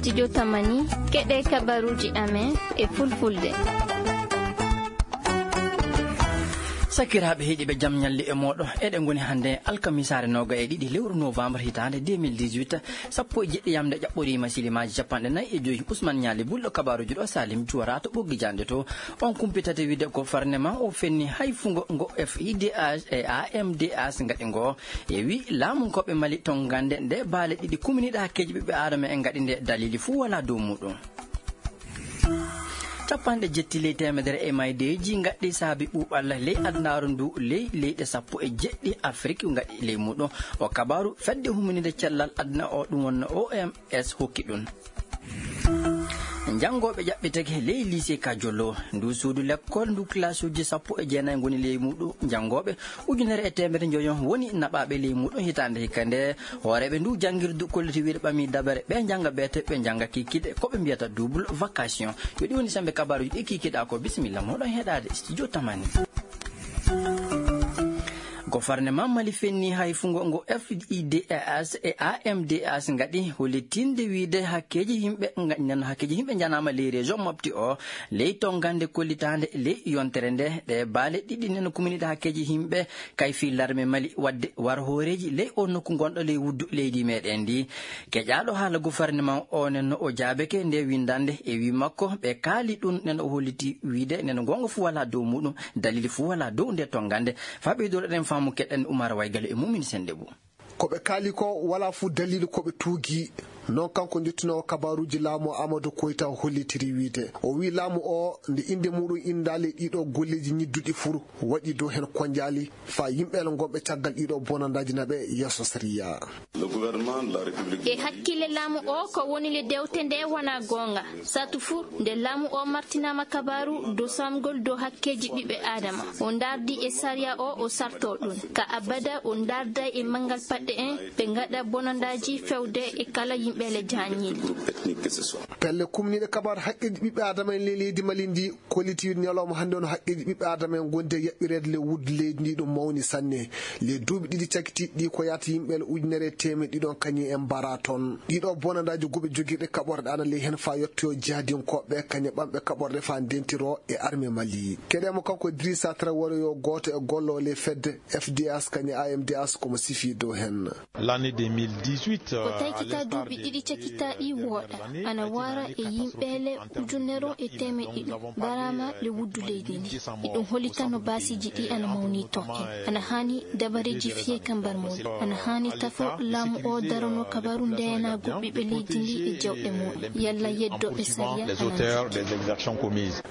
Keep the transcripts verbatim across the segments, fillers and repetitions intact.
Studio Tamani, keɗe kabaruuji amen e fulfulde. Sakiraaɓe heɗiiɓe, jam ñalle e mooɗo. Eɗen ngoni hannde alkamisaare nooga e ɗiɗi lewru novembre hitaande deux mille dix-huit, sappo e jeɗɗi yamde ƴaɓɓoriima silimaaji capanɗe nayi e joyi. Ousmane Ñaali Bulɗo kabaaruuji ɗo, Salim Juwara to ɓoggi jaande to. On kumpitate wiide ko farnema o fenni hay fungo ngo F I D H e A M D H ngaɗi ngo. E wi laamunkooɓe Mali tongande nde baale ɗiɗi kuminiiɗe hakkeeji ɓiɓɓe aadama en ngaɗi nde daliili fuu walaa dow muuɗum. Capanɗe jetti ley teemedere e maydeeji ngaɗɗi saabi ɓuuɓal ley adunaaru ndu, ley leyɗe sappo e jeɗɗi Afrik ngaɗi ley muuɗum. O kabaaru fedde huminide cellal aduna o, ɗum wonno O M S hokki ɗum. Janngooɓe ƴaɓɓitake ley lycée Kajolo, ndu suudu lekkol ndu, kilasuuji sappo e jeenayi ngoni ley muuɗum. Janngooɓe ujunere e teemedde njoyo woni naɓaaɓe ley muuɗum hitaande hikka nde. Hooreeɓe ndu janngirdu kolliti wiide ɓami dabare ɓe njannga beete, ɓe njannga kikiɗe, ko ɓe mbiyata double vacation. Yo ɗi woni sembe kabaaruuji ɗi kikiɗa ko. Bisimilla moɗon heɗaade Studio Tamani. Gofarneman Mali fenni hay fungo ngo F I D H e A M D H ngaɗi hollitinde wiide hakkeeji yimɓe nga-, nan hakkeeji yimɓe njanaama ley région Mopti o, ley tongande kollitaande ley yontere nde, ɗe baale ɗiɗi neno kuminiiɗe hakkeeji yimɓe kay fii larme Mali waɗde war hooreeji ley o nokku ngonɗo ley wuddu leydi meɗen ndi. Keƴaaɗo haala gofarneman o nen no o jaabeke nde winndande e wii makko ɓe kaali ɗum nen o holliti wiide nen goonga fuu walaa dow muuɗum, dalili fuu walaa dow nde tongande. Faa ɓeydoɗen faamu keɗen Umar Waygalo e Mumin Sennde Bou. Ko ɓe kaali ko walaa fuu daliilu ko ɓe tuugi. Noon kanko njottinoowo kabaaruuji laamu Amadou Koita hollitiri wiide. O wii laamu o nde innde muuɗum inndaali ɗiɗo golleeji ñidduɗi fuu waɗi dow heen konjaali faa yimɓe gonɓe caggal ɗiɗo bonandaaji naɓe yeeso sariya. E hakkille laamu o ko woni le dewte nde wonaa goonga. Saatu fuu nde laamu o martinaama kabaaru dow saamgol dow hakkeeji ɓiɓɓe aadama, o ndaardi e sariya o, o sarto ɗum. Ka abada o ndaarda e manngal paɗɗe en, ɓe ngaɗa bonandaaji fewde e kala yimɓe le jaañiiɗi. Pelle kumniiɗe kabaaru haqqeeji ɓiɓɓe aadama en ley leydi Mali ndi kolliti wiide ñalawma hannde on haqqeeji ɓiɓɓe aadama en ngondi e yaɓɓireede ley wuddu leydi ndi ɗum mawni sanne. Ley duuɓi ɗiɗi cakitiiɗi ɗi ko yaata yimɓe le ujunere e teemeɗɗe ɗiɗon kañum en mbaraa toon. Ɗiɗo bonandaaji guuɓe jogirɗe kaɓorɗe ana ley heen faa yettoyo jihadinkooɓe kañum ɓamɓe kaɓorɗe faa ndentiro e armée Mali. Keɗee mo kanko Idrissa Traoré yo gooto e golloowo ley fedde F D H kañum A M D H ko mo sifii dow heen. L'année deux mille dix-huit, ko taykita duuɓi ɗiɗi cakitaaɗi wooɗa, ana wara e yimɓe le ujunere e teemeɗɗe ɗiɗi mbaraama le wuddu leydi ndi. Iɗum hollita no baasiiji ɗi ana mawni toon en. Ana haani dabareeji fiyee ka mbar mum. Ana haani tafo laamu o darano kabaru ndeenaagu ɓiɓɓe leydi ndi e jawɗe mum. Yalla yeddo e sariya ana.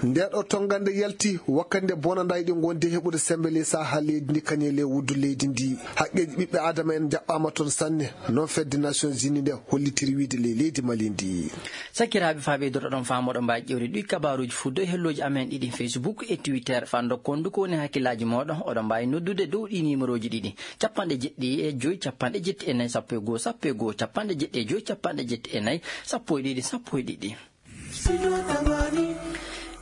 Nde ɗo tongande yalti wakkati nde bonandaaji ɗi ngondi heɓude sembe ley saha leydi ndi kañum ley wuddu leydi ndi. Haqqeeji ɓiɓɓe aadama en njaɓɓaama toon sanne. Noon fedde Nations Unies nde hollitiri wiide ley leydi Mali ndi. Sakiraaɓe, faa ɓeydotoɗon faamu, oɗon mbaawi ƴeewde ɗi kabaaruuji fuu dow hellooji amen ɗiɗi, Facebook e Twitter. Faa ndokkon ndu ko woni hakkillaaji mooɗon, oɗon mbaawi noddude dow ɗi nimerooji ɗiɗi, capanɗe jeɗɗi e joy, capanɗe jeɗɗi e nayi, sappo e goo, sappo e goo, capanɗe jeɗɗi e joy, capanɗe jeɗɗi e nayi, sappo e ɗiɗi, sappo e ɗiɗi.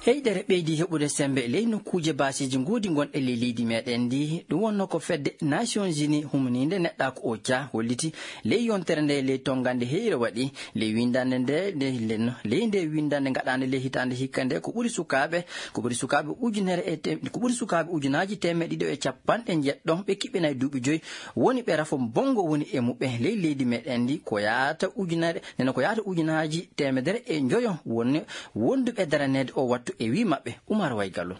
Heyɗere ɓeydi heɓude semmbe ley nokkuuje baasiiji ngoodi gonɗe ley leydi meɗen ndi. Ɗum wonno ko fedde Nations Unies humniinde neɗɗaaku O C A holliti ley yontere nde ley tonngande heyre waɗi ley winndannde nde, nde, nde, ley nde winndannde ngaɗaande ley hitaande hikka nde, ko ɓuri sukaaɓe, ko ɓuri sukaaɓe ujunere e te-, ko ɓuri sukaaɓe ujunaaji teemeɗɗe ɗiɗi e capanɗe njeɗɗo ɓe kiɓɓinay duuɓi joyi woni ɓe rafo bonngo woni e muɓɓen ley leydi meɗen ndi, ko yaata ujunere, nena ko yaata ujunaaji teemedere e njoyo won-, wonduɓe daraneede o wattu e wii maɓɓe. Umar Waygallo.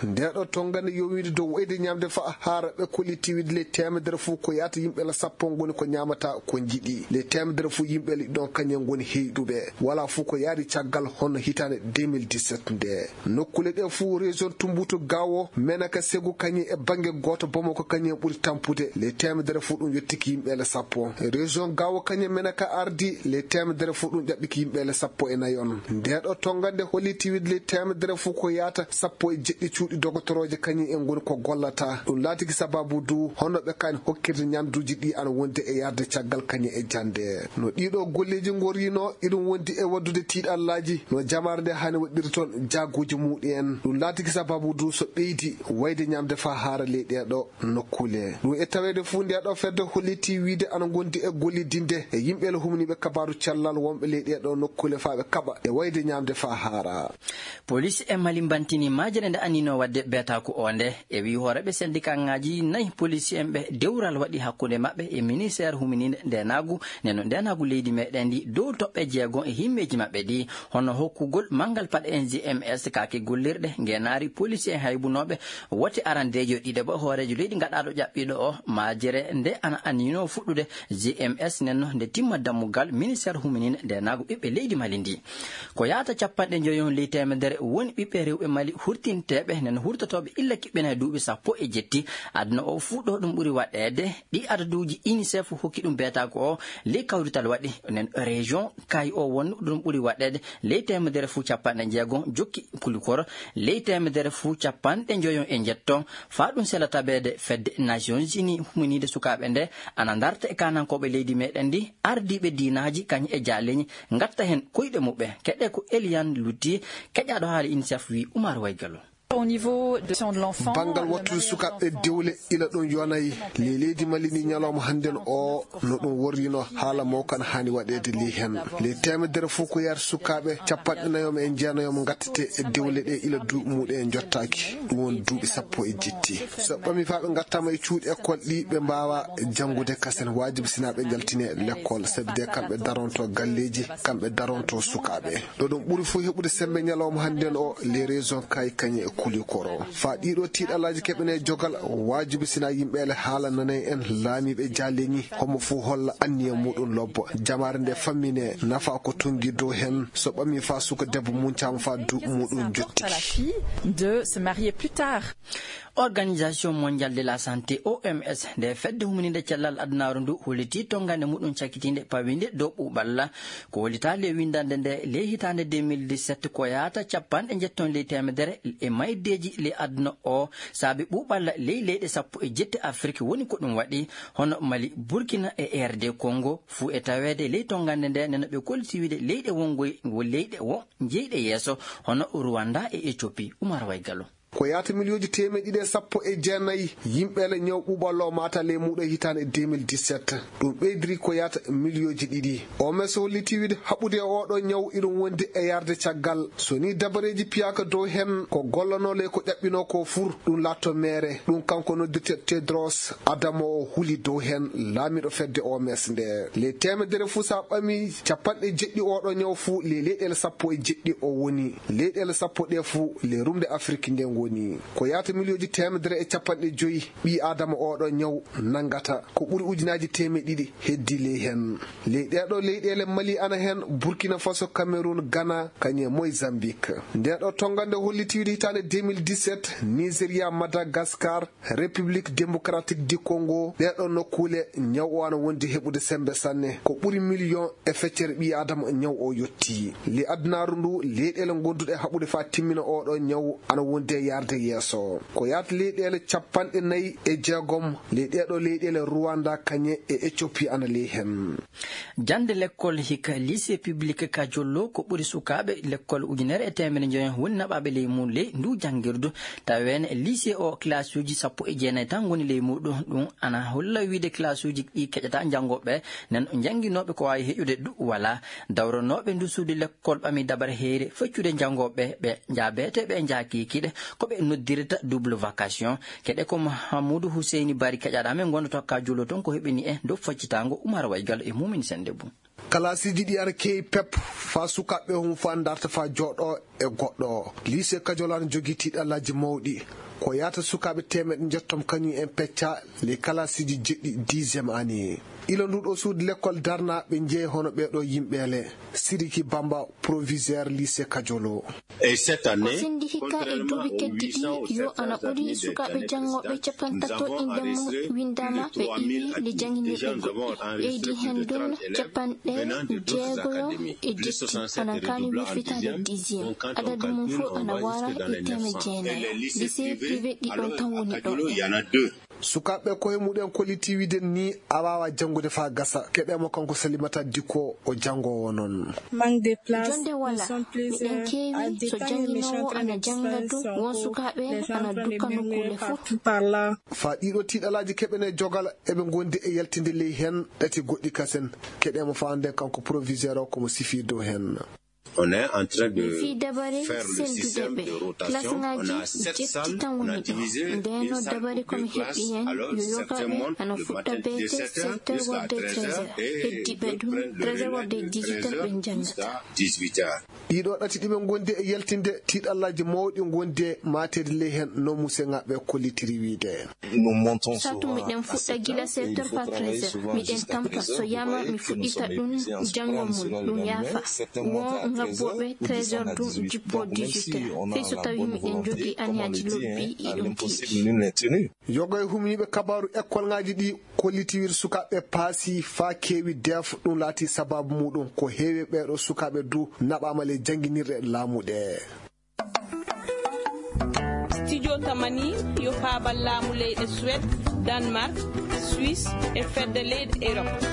Nde ɗo tonngande yowiinde dow wayde ñaamde fa haara ɓe kolliti wiide ley teemedere fof ko yaata yimɓe la sappo ngoni ko ñaamata ko njiɗi. Ley teemedere fof yimɓe la ɗon kañen ngoni heyɗuɓe. Wala fof ko yaari caggal hono hitaande deux mille dix-sept nde. Nokkuule ɗe fof région Tumbutu Gawo, Menaka Segu kañum e bannge gooto Bamako kañum ɓuri tampude. Ley teemedere fof ɗum yettiki yimɓe le sappo. Région Gawo kañum Menaka ardi ley teemedere fof ɗum ƴaɓɓiki yimɓe le sappo e nayi on. Nde ɗo tonngande holliti wiide ley teemedere fof ko yaata sappo e jeɗɗi cuuɗi Dogotorooje kañum en ngoni ko gollata. Ɗum laatiki sababu du hono ɓe kani hokkirde ñamduuji ɗi ana wondi e yarde caggal kañum e jannde. No ɗiɗo golleeji ngorrino, iɗum wondi e waddude tiiɗallaaji no jamaare nde hani waɗɗiri toon jaaguuji muɗum en. Ɗum laatiki sababu du so ɓeydi wayde ñamde faa haara ley ɗeeɗo nokkuule. Ɗum e taweede fuu ndeeɗo fedde hollitii wiyde ana ngondi e gollidinde e yimɓe le humniiɓe kabaaru cellal wonɓe ley ɗeeɗo nokkuule faa ɓe kaɓa e wayde ñamde faa haara. Polis e Mali mbantini majere nde annino wadde beetaaku o nde. E wii hooreɓe sendikaŋaaji nayi polis en ɓe dewral waɗi hakkunde maɓɓe e ministeer huminiinde ndeenaagu, nden no ndeenaagu leydi meɗen ndi dow toɓɓe jeego e himmeeji maɓɓe ɗi, hono hokkugol manngal paɗe en G M S kaake gollirɗe ngeenaari polis en haybunooɓe wote arandeejo ɗiɗaɓo hooreejo leydi gaɗaaɗo ƴaɓɓiiɗo o. Majere nde ana annino fuɗɗude G M S nden no nde timma dammugal ministeer huminiinde ndeenaagu ɓiɓɓe leydi Mali ndi. Ko yahata capanɗe njoyo ley teemedere woni ɓiɓɓe rewɓe Mali hurtinteeɓe nen hurtotooɓe illa kiɓɓene duuɓi sappo e jetti. Aduna o fuu ɗo ɗum ɓuri waɗeede. Ɗi adaduuji UNICEF hokki ɗum beetaaku o ley kawrital waɗi nen région kay o won ɗum ɓuri waɗeede ley teemedere fuu capanɗe jeego jokki kulikoro ley teemedere fuu capanɗe njoyo e njetto. Faa ɗum sela tabeede fedde Nations Unies huminiide sukaaɓe nde ana ndarta e kaanankooɓe leydi meɗen ndi, ardiiɓe diinaaji kañ e jaaleñi ngatta heen koyɗe muɓɓe. Keɗe ko Eliane Lutti, keƴaaɗo haala UNICEF wii Umar Waygalo. Au niveau de l'enfant, banngal wattude sukaaɓe dewle ila ɗum yonay ley leydi Mali ndi ñalawma hannden o no ɗum worrino haala mawkan haani waɗeede ley heen. Ley teemedere fof ko yahata sukaaɓe capanɗe nayo e jeenayo ngattete e dewle ɗe ila duuɓi muɗum en njottaaki. Ɗum won duuɓi sappo e jetti. So ɓami faa ɓe ngattaama e cuuɗi école ɗi ɓe mbaawa janngude kasen waajibi sinaa ɓe njaltine l'école sabi de kamɓe daronto galleeji, kamɓe daronto sukaaɓe. Ɗo ɗum ɓuri fof heɓude sembe ñalawma hannden o les régions kay kañe e kulikoro. Faa ɗiɗo tiiɗalaaji keɓene jogal waajibi sinaa yimɓe ele haala nanay en laamiiɓe jaaleñi homo fof holla anniya muɗum lobbo. Jamaare nde fammine nafa ko tongi dow heen so ɓami faa suka debbo muncaama faa duuɓi muɗum jottiki. De se marier plus tard. Organisation Mondiale de la Santé, O M S, nde fedde humininde cellal adunaaru ndu hollitii tonngande muɗum cakkitiinde pawinde dow ɓuuɓalla. Ko hollitaa ley winndande nde ley hitaande deux mille dix-sept ko yahata capanɗe njetton ley teemedere e maydeeji ley aduna o saabi ɓuuɓalla ley leyɗe sappo e jetti Afrik woni ko ɗum waɗi hono Mali, Burkina e R D Congo fuu e taweede ley tonngande nde nena ɓe kolliti wiide leyɗe wongoy wo leyɗe wo jeyɗe yeeso hono Rwanda e Ethiopie. Umar Waygalo. Ko yahata miliyooji teemeɗɗe ɗiɗi e sappo e jeenayi yimɓe le ñaw ɓuuɓallo o maata ley muuɗo hitaande deux mille dix-sept. Ɗum ɓeydiri ko yahata miliyooji ɗiɗi. O M S holliti wiide haɓude e oɗo ñaw iɗum wondi e yarde caggal. So ni dabareeji piyaaka dow heen ko gollanoo ley ko ƴaɓɓinoo ko fur ɗum laatto meere. Ɗum kanko noddirte Tedros Adamo o huli dow heen laamiiɗo fedde O M S nde. Ley teemedere fuu sa ɓami capanɗe jeɗɗi oɗo ñaw fuu ley leyɗeele sappo e jeɗɗi o woni. Leyɗeele sappo ɗe fuu ley rumde Afrik nde ngoni. Ko yahata miliyooji teemedere e capanɗe joyi ɓii Aadama oɗo ñaw nanngata. Ko ɓuri ujunaaji teemeɗɗe ɗiɗi heddi ley heen. Ley ɗeeɗo leyɗeele Mali ana heen, Burkina Faso, Cameroun, Ghana, kañe Mozambique. Ndeeɗo tonngande holliti wiide hitaande deux mille dix-sept, Nigeria, Madagascar, République Démocratique du Congo, ɗeeɗo nokkuule ñaw o ana wondi heɓude sembe sanne. Ko ɓuri miliyon e feccere ɓii Aadama ñaw o yotti. Ley adunaaru ndu, leyɗeele gonduɗe haɓude faa timmina oɗo ñaw ana wondi e yarde yeeso. Ko yahata leyɗeele capanɗe nayi e jeegom, ley ɗeeɗo leyɗeele Rwanda, kañe e Ethiopie ana ley heen. Jannde lekkol hikka lycée public Kajollo ko ɓuri sukaaɓe lekkol ujunere e teemedde njoyo woni naɓaaɓe ley mum ley ndu janngirdu. Taweene lycée o classe uji sappo e jeenayi tan ngoni ley muɗum. Ɗum ana holla wiide classe uji ɗi keƴata janngooɓe nen jannginooɓe ko waawi heƴude du wala. Dawranooɓe ndu suudu lekkol ɓami dabar heyre feccude janngooɓe ɓe njaabeteeɓe e njaakiikiiɗe ko ɓe noddirta double vacation. Keɗe ko Mahamudu Huseyni Bari keƴaɗa men gondoto ka juulo toon ko heɓini e dow faccitango Umar Waygal e Mumin Sendebou. Kalaasiiji ɗi ana keewi pep faa sukaaɓe hum faa ndarta faa jooɗo e goɗɗo. Lycée Kajolaan jogii tiiɗallaaji mawɗi. Ko yahata sukaaɓe teemeɗɗe njettom kañum en peccaa ley kalaasiiji jeɗɗi dixième année. Ila nduɗo suudu lekkol darnaa ɓe njeeya hono ɓeeɗo yimɓeele. Siriki Bamba, proviseur lycée Kajolo. Ko senndi hikka e duuɓi keddiɗi yo ana ɓuri sukaaɓe janngooɓe capantato innde mum winndaama ɓe iwi le jannginirɓe goɗɗi. Ɓeydi heen ɗum capanɗe jeegoyo e jetti ana kaani wirfitaade dixième. Adadu mum fof ana waara e teemedde jeenayo. Lycée privé ɗiɗon tan woni ɗo. Sukaaɓe koye muɗen kolliti wiide ni a waawa janngude faa gasa. Keɗee mo kanko Salimata Dikko, o janngoowo noon. Jonde walaa, miɗen keewi, so jannginoowo ana jannga ɗum, won sukaaɓe ana dukka nokkuule fof. Faa ɗiɗo tiiɗalaaji keɓen e jogal, eɓe ngondi e yaltinde ley heen ɗati goɗɗi kasen. Keɗee mo faa annden kanko proviseur o ko mo sifii dow heen. On est en train de... Fii dabare senndude ɓe, klasŋaaji jetti tan woni ɗo. Ndeenoo dabare ko mi heɓi heen, yo yogaaɓe ana fuɗɗa beete sept heures warde treize heures. Heddiiɓe ɗum, treize heures warde dix-huit heures ɓe njanngataa. Ɗiɗo ɗati ɗi ɓe ngondi e yaltinde, tiiɗallaaji mawɗi ngondi e maateede ley heen, no museŋaaɓe kollitiri wiide. Satu miɗen fuɗɗa gila sept heures faa treize heures. Miɗen tampa, so yama mi fuɗɗita ɗum, janngo mum, ɗum yaafa. Won ngabbooɓe treize heures ɗum, jippoo dix-huit heures. Fii so tawii miɗen njogii aniyaaji lobbi, iɗum tiiɗi. Yoga e humniiɓe kabaaru ekkolŋaaji ɗi kolliti wiide sukaaɓe paasi faa keewi deef, ɗum laati sabaabu muɗum ko heewi ɓeeɗo sukaaɓe du naɓaama ley jannginirɗe laamu ɗe. Studio Tamani yo paabal laamu leyɗe Suède, Danemark, Suisse e fedde leyɗe Europe.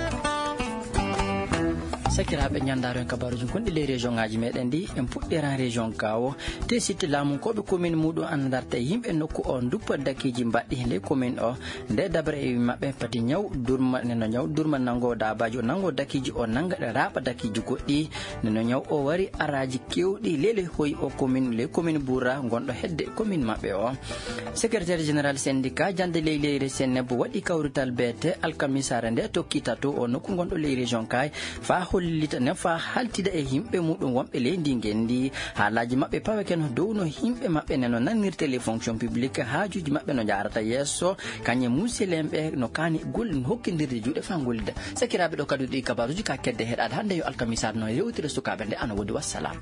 Sakiraaɓe, ñanndaaro en kabaaruuji gonɗi ley région ŋaaji meɗen ɗi, en puɗɗiran région Gaawo. Te sitte laamunkooɓe commune muɗum ana darta e yimɓe nokku o duppa dakiiji mbaɗɗi ley commune o. Nde dabare e maɓɓe pati ñaw durma, neno ñaw durma nanngo daabaaji, o nanngo dakiiji, o nannga ɗe raaɓa dakiiji goɗɗi. Neno ñaw o wari araaji keewɗi lele hoyi o commune, ley commune Boura, gonɗo hedde commune maɓɓe o. Secrétaire général syndicat jannde ley leyre Seneb waɗi kawrital beete alkamisaare nde tokki tato o nokku gonɗo ley région Kaay, faa hollita ne, faa haltida e yimɓe muɗum wonɓe ley ndi ngenndi. Haalaaji maɓɓe paweke no dow no yimɓe maɓɓe ne no nannirte ley fonction publique, haajuuji maɓɓe no njaarata yeeso, kañum e muselenɓe no kaani gol-, hokkindirde juuɗe faa gollida. Sakiraaɓe, ɗo kadi ɗi kabaaruuji ka kedde heɗaade hannde yo alkamisaare no yewtira sukaaɓe nde ana woodi. Wassalam.